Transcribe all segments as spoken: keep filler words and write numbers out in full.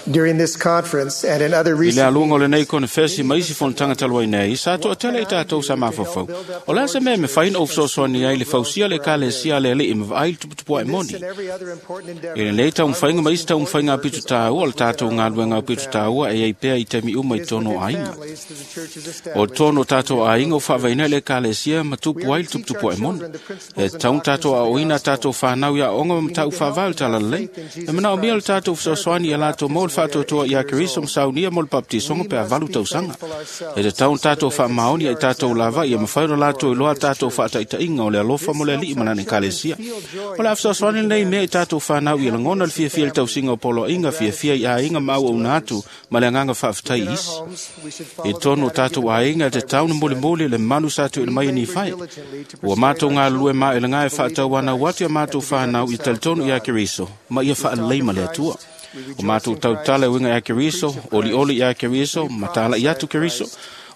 During this conference and in other I le recent aluga o lenei konefesi ma isi fonotaga talu ai nei, sa toatele i tatou sa mafaufau. O le a se mea e mafai ona ou fesoasoani ai i le fausia o le Ekalesia a le Alii ma vaai i le tuputupuaʻe this moni. and every other important endeavor, I lenei taumafaiga ma isi taumafaiga aupito taua, o le tatou galuega aupito taua e iai pea i taimi uma i it is totonu o within aiga. families that the church is O established. totonu o tatou aiga o faavaeina i le Ekalesia ma tupu ai le tuputupuaʻe moni. E tatau ona tatou aoaoina a tatou fanau i aoaoga ma mataupu faavae o le talalelei. E manaomia le tatou fesoasoani ia latou maua le faatoatoa ia Keriso ma saunia mo le baptisoga pe a valu tausaga. E tatau ona tatou faamaoni ai tatou lava ia mafai ona latou iloa a tatou faataitaiga o le alofa mo le Alii ma lana Ekalesia. O le a fesoasoani lenei mea i tatou fanau ia lagona le fiafia i le tausiga o poloaiga, fiafia i aiga ma auauna atu ma le agaga faafetai i In our isi. homes, we should I follow the totonu o pattern tatou given by aiga e tatau ona Nephi, mulimuli le manu sa tuuina mai e Nifai. Ua matou galulue maʻelaga e faatauanau atu ia matou fanau ia talitonu ia Keriso ma ia faalelei ma le Atua. O matou tautala e uiga ia Keriso, olioli ia Keriso, ma talaʻi atu Keriso,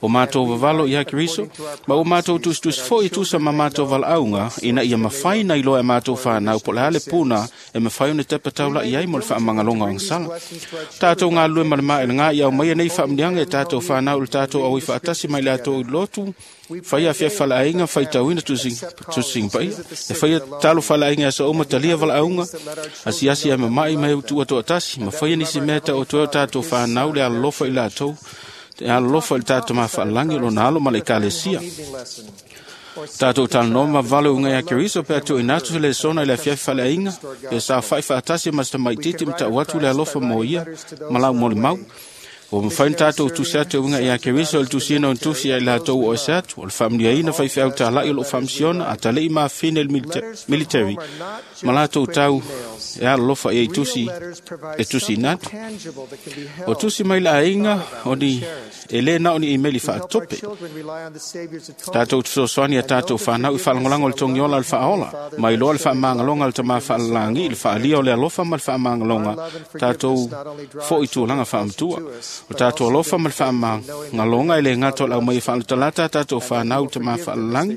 o matou vavalo ia Keriso, ma ua matou tusitusi foi i tusa ma matou valaauga, ina ia mafai na iloa e matou fanau po o le a le puna e mafai ona tepa taulaʻi ai mo le faamagaloga o agasala. Tatou galulue ma le maʻelaga ia aumaia nei faamuniaga e tatou fanau i le tatou auai faatasi mai le atou i lotu, faia afiafi faleaiga, faitauina tusiga paia, e faia tatalo faleaiga i aso uma, talia valaauga, asiasi ae mamaʻi ma e utuua toatasi, ma faia nisi mea e taoto ai o tatou fanau le alolofa i latou, e alolofa i le tatou mafaalagi o lona alo ma le Ekalesia. Tatou talanoa ma vavalo uiga ia Keriso pe a tuuina atu se lesona i le afiafi faleaiga, pe saofaʻi faatasi ma se tamaititi ma tau atu le alofa mo ia ma lau molimau. Ua mafai ona tatou tusi atu e uiga ia Keriso i le tusiina o ni tusi ia i latou o ese atu, o le faamanuiaina faifeau talaʻi o loo faamasiona, atalii ma afafine i le milita- military, ma latou tau e alolofa i ai tusi e tusiina atu. O tusi mai le aiga o ni e lē na o ni imeli faatope. Tatou te fesoasoani a tatou fanau i faalagolago o le togiola o le faaola, ma iloa le faamagaloga o le tamā faalalagi i le faalia o le alofa ma le faamagaloga tatou foi tulaga faamatua. O tatou alofa ma le faamagaloga e lē gata o le aumai e faalatalata a tatou fanau i le tamā faalalagi,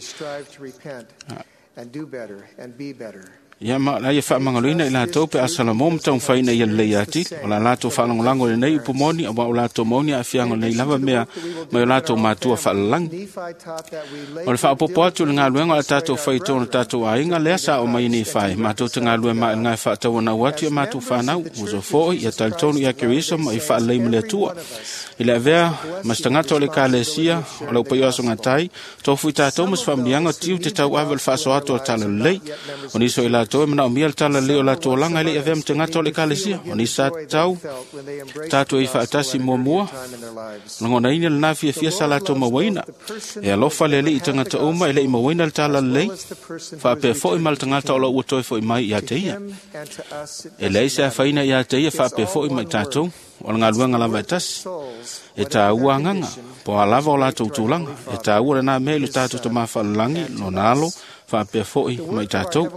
And do better and be better. ia ma la ia faamagaloina i latou pe a salamo ma taumafaiina ia lelei atili. O la latou faalagolago i lenei upu moni, auā o latou maoni aafiaga o lenei lava mea mai o latou matua faalalagi. Nephi taught that we O le faaopoopo atu i le galuega o le tatou fai i totonu o tatou aiga, lea sa oo mai nei fai. Matou te galulue maʻelaga e faatauanau atu ia matou fanau, uso foi, ia talitonu ia Keriso ma ia faalelei ma le Atua. I le avea ma se tagata o le Ekalesia o le aupaia o aso gatai, tofu i tatou ma se faamanuiaga tiu te tauave o le faasoa atu o le talalelei. O nisi o i latou e manaomia le talalelei o latou olaga e le i avea ma tagata o le Ekalesia. O nisi sa tatau tatou e faatasi muamua, lagonaina lena fiafia sa latou mauaina. E alofa le Alii i tagata uma e le i mauaina le talalelei, faapea foi ma le tagata o lo o ua toe foi mai ia te ia. E leai se afaina ia te ia faapea foi ma i tatou, o le galuega lava e tasi. E taua agaga, po o a lava o latou tulaga, e taua lena mea i le tatou tamā faalalagi, lona alo, faapea foi ma i tatou.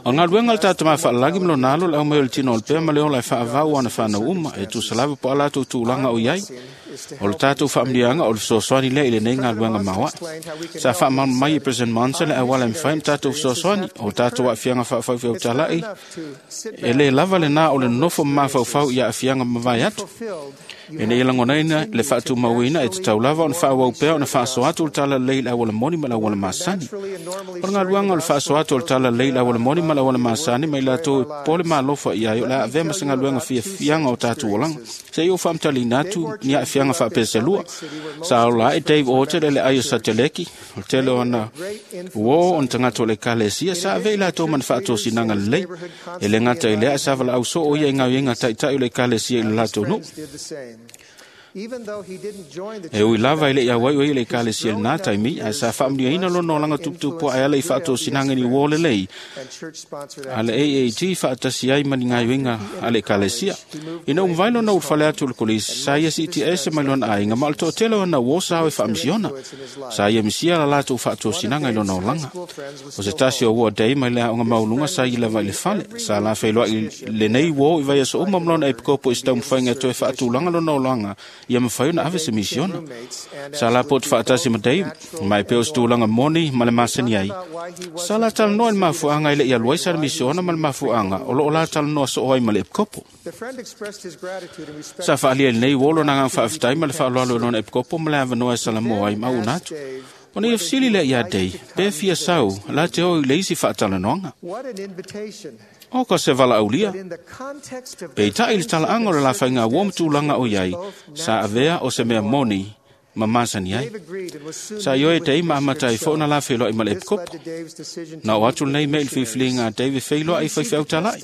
O le galuega a le tatou mafaalalagi ma lona alo le aumai o le tino o le pea ma le ola e faavau o ana fanau uma, e tusa lava po o a latou tulaga o i ai. O le tatou faamanuiaga o le fesoasoani lea i lenei galuega maoaʻe. Sa faamalamalama mai e President Monson le auala e mafai ona tatou fesoasoani o tatou aafiaga faafaifeau-talaʻi. E lē lava lenā o le nonofo ma mafaufau i aafiaga mavae atu. Ina ia lagonaina le faatumauina, e tatau lava ona faaauau pea ona faasoa atu le talalelei i le auala moni ma le auala masani. O le galuega o le faasoa atu o le talalelei i le auala moni ma le auala masani ma i latou e popole malofa i ai, o le a avea ma se galuega fiafiaga o tatou olaga. Se i ou faamatalaina atu ni aafiaga faapea se lua. Sa ola ae Dave Orchard e le ai o Sateleki, o le tele o ana uō o ni tagata o le Ekalesia, sa avea i latou ma ni faatosinaga lelei. E lē gata i lea, ae sa valaau soo ia i gaoioiga taʻitaʻi o le Ekalesia i le latou nuu. E ui lava e le i auai o ia i le Ekalesia i lenā taimi, ae sa faamanuiaina lona olaga tuputupuaʻe ala i faatosinaga i ni uō lelei a le A A T faatasi ai ma ni gaoioiga a le Ekalesia. Ina ua mavae lona ulufale atu o le kolisi, sa ia siitia ese mai lona aiga, ma o le toatele o ana uō sa o e faamisiona. Sa ia misia la latou faatosinaga i lona olaga. O se tasi o uō a Dave mai le aoga maualuga sa ia lava i le fale. Sa lafeiloai lenei uō i vaiaso uma ma lona epikopo i se taumafaiga e toe faatulaga lona olaga Ia mawhai ona ave se misiona. Sa la po te whaatasi ma Dave, mai peo se tūlanga moni ma le masani ai. Sa la talanoa le mafuanga i le ia luaisa le misiona ma le mafuanga o loo la talanoa so oi ma le epikopo. Sa whaalia nei wolo na ngang whaaftai ma le whaaloalo i lona epikopo ma le awanoa e salamoa ai mau unatu. O nei efsili le ia dei, pe fia sau, la te oi le isi whaatalanoanga. O ka se vala aulia. Pe tai le talaanga o le lawhainga uo matulanga o iai, sa avea o se mea moni, ma masani ai. Sa ioe tei ma amatai fo na la wheloa i ma le epikopo. Na o atu nei me il whiwhilinga a David wheloa i whaiwhau talai.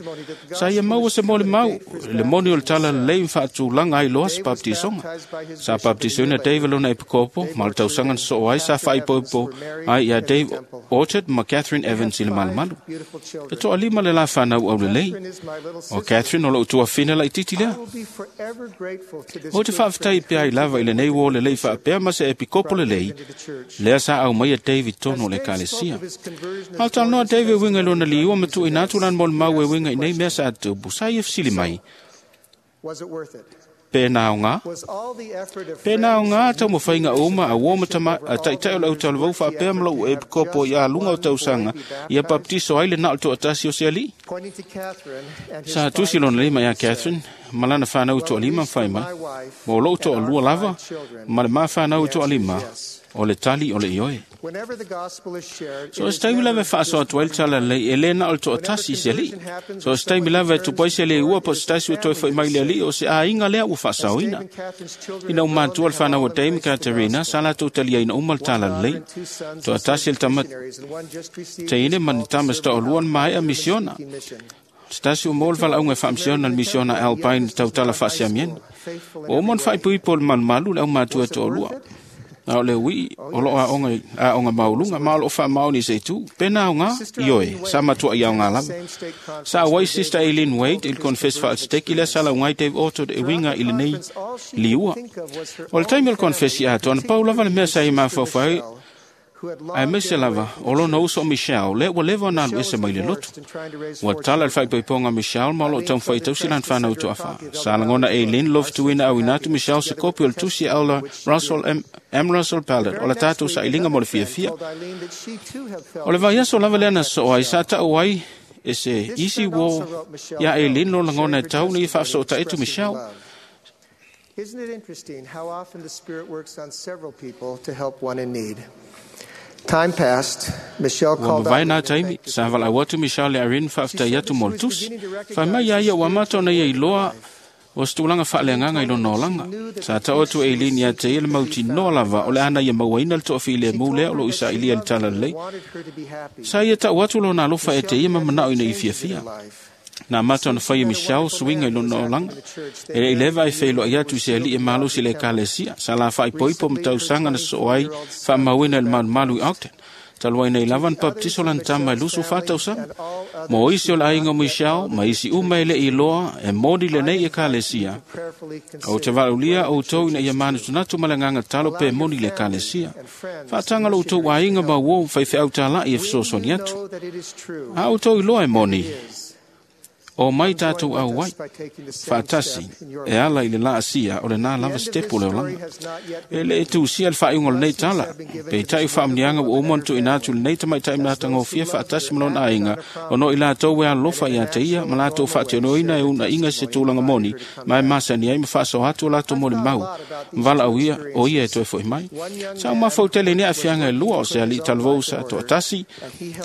Sa ia maua se mole mau, le moni o le tala lei mwhaatulanga ai loa sa baptisonga. Sa baptisona David lona epikopo, ma le tausangan so ai sa whaipoipo ai ia Dave Orchard ma Catherine Evans i le malumalu. E toa lima le la whanau au le lei. O Catherine o lo utua whina la i titi lea. O te whaaftai pea i lava i le nei wo le lei whaapea ma se epikopo le lei, lea sa au mai a David tono le kalesia. Au talanoa David winga lona liua matu i nātu lan mol mau e winga i nei mea sa atupu, sa i efsili mai. Pēnā o ngā? Pēnā o ngā tau mawhainga uma a uo matama a taitai o lau talavau whaapea ma lau epikopo i a lunga o tausanga i a baptiso ai le nao toatasi o se ali. Sa tusi lona lima ia Catherine, malana whanau toa lima mwhai mai, mo lou toa lua lava, ma le maa whanau toa lima, o le tali o le ioe. So es taimi lava whaaso atu ai le tala lei e lena o le toatasi i se ali. So es taimi lava e tupai se le ua po se tasi o toi whai mai le ali o se āinga lea ua whaasaoina. Ina u mātua le whanau o Dame Katerina, sa latou talia ina uma le tala lei. Toatasi le tama teine ma ni tama sta o luan mai a misiona. Se tasi o mōle whalaunga e whaamsiona le misiona Alpine tautala whaasiamieni. O omon whaipuipo le malumalu le au mātua toa lua. Na o le ui, o loo a onga, a onga maulunga, ma o loo wha maoni se tu, pena o ngā, ioe, sa matua i au ngā lava. Sa awai Sister Eileen Wade, il confess wha al lea sa lau ngai Dave Orchard e winga i le nei liua. O le taimi o le confess i atoa, na pau lava le mea sa i mawhawhai, ai mese lava, o lona uso o Michelle, le ua lewa na alu ese mai le lotu. Ua tala le whaipoiponga Michelle, ma o loo taumwhai tausi lan whanau toa wha. Sa langona Eileen, love tuina au inatu Michelle se kopi o le tusi aula Russell M. M. Russell Ballard, o le tātou sa ilinga mo le fia fia. O le vai aso lava lea na so ai, sa tau ai, e se isi wo ia Eileen lo langona e tau ni whaafso ta etu Michelle. Isn't it interesting how often the Spirit works on several people to help one in need? Time passed. Michelle called out. Ua taimi, sa vala watu Michelle le Irene whaaftai atu mo le tusi. Whai mai ia ia ua mato na ia iloa o se tulaga faaleagaga i lona olaga. Sa tao atu Eileen ia te ia le mauti noa lava o le ana ia mauaina le toafilemu lea o loo isailia le tala lelei. Sa ia tau atu lona alofa e te ia ma manao ina i fiafia. Nā mata ona whai e Michelle suinga i lona olaga. E le ileva ai whailoa i atu i se ali e malosi le ekalesia. Sa la whaipoipo ma tausaga na soo ai whaamauina le malumalu i Ogden. Taluai nei lava na baptiso lan tama e lusu whātausaga. Mo isi o le aiga o Michelle, ma isi uma e le iloa e moni le nei ekalesia. O te valulia o tou ina ia manutunatu ma le nganga talo pe moni le ekalesia. Whaatanga lo tou aiga ma uo whaiwheau tālai e whesosoni atu. A o tou iloa e moni. O mai tātou au ai, whaatasi, e ala i le la asia o le nā lava stepu le olanga. E le e tūsia le whaaiunga o le nei tala, pe i tai whaamnianga o omon tu ina atu le nei tamai tai mnata ngofia whaatasi malona ainga, o no i lātou e alofa i a te ia, ma lātou whaationoina e una inga se tūlanga moni, mai masani ai ma whaaso atu o lātou moli mau, mawala au ia, o ia e toe foi mai. Sa o mawhau tele ni awhianga e lua o se ali talavou sa toatasi,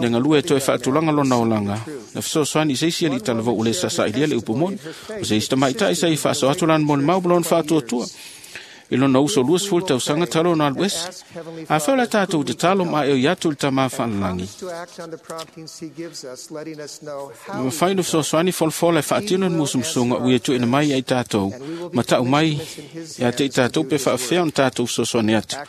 le ngalua e toe whaatulanga lona olanga, na whasoswani seisi ali talavou o le sasa ilia le upu moni. O se ista maitai sa i whaaso atu lan moni mau malona whaatuatua. I lona uso lua sefulu tausaga talo na alu ese. A fau la tātou te talo ma e o iatu le tamā whaalalangi. Ma whai no fesoasoani folafola e whaatino ni musumusunga ui e tuina mai ai tātou. Ma tau mai ia te i tātou pe whaafea o tātou fesoasoani atu.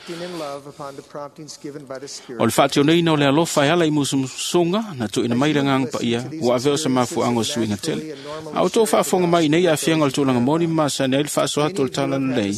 O le whaationeina o le alofa e ala i musumusunga na tuina mai le nganga pa ia ua aveo sa mafuanga o suinga tele. A o tō whaafonga mai nei a whianga o le tūlanga moni ma sa nei le whaaso atu o le tala lelei.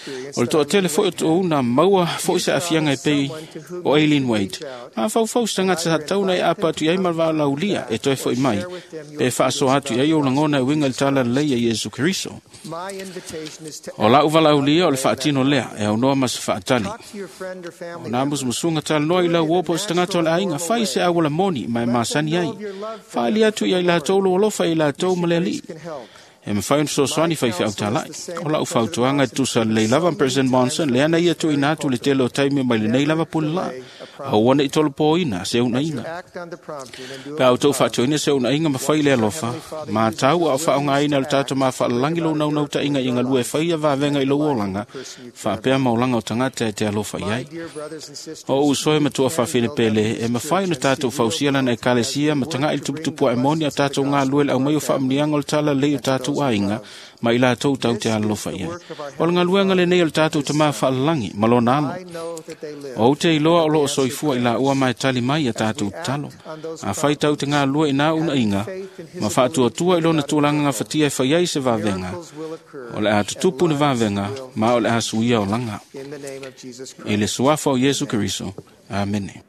experience O le that I'm toatele foi o living tu'u na maua fo'i You se aafiaga e promise pei someone to whom o you Aileen can Wade. reach out Mafaufau se tagata sa tatau na e apa atu i ai ma le valaaulia e toe fo'i mai, share with them your pe faasoa feelings atu i about ai the ou lagona e gospel of uiga i le Jesus tala Christ. lelei a Iesu Keriso. My invitation is to O la'u act valaaulia o le without delay faatino in that lea e aunoa ma se faatali. Talk to your friend or family O nā member. musumusuga talanoa i Do it lau in a o po o se tagata o natural le and aiga, normal fai se way. auala moni ma e Let them masani know ai. of your love for Faaali them atu and ia for i the latou Lord. lou alofa i latou You ma see, le grace alii. can help. E mawhai ona My fesoasoani counsel is faifeau the same O lau that President fautuaga e Monson tusa given lelei so lava many President times Monson, from lea na this ia very tuuina atu le pulpit. tele o taimi mai lenei Never lava pulelā. delay a Aua prompting. nei tolopoina se As you unaiga. act on the prompting and do Pe it a with outou love, faatuaina se unaiga ma fai watch le our alofa, Heavenly Father ma uses tau your a o willingness faaaogāina to le tatou act to bring mafaalalagi about lou a naunautaiga miracle in i your galue life faia vavega and i the lou life of the olaga, person you care faapea about. maolaga o tagata e te alofa i My ai. dear brothers and O sisters, uso e we matua can faafine build up pele, e this mawhai church na and see tātou real fausia lana e growth as kalesia we ma work taga'i le to bring the tuputupu a e moni a blessings of the tātou ngā gospel lue le to au mai our o faamnianga o le families tala lei o and to tātou those we aiga, love. ma i latou tau te This is alalofa the i ai. work of our O le Heavenly galuega Father lenei o le and tātou His tamā Son. faalalagi ma lona alo. I know that they live O te and iloa that o they loo answer soifua i la ua prayers. mai tali mai a As we tātou talo. act on those A whai tau te promptings, ngā lua i nā una having inga, faith in His ma ability to faatuatua i bring lona about a tūlanga ngā miracle, fatia e whai ai se vavega. miracles will occur O le a and tutupu ni lives vavega, will ma o le a change. suia o langa. In the name of Jesus I le Christ. suafa o Iesu Amen. Keriso. Amene.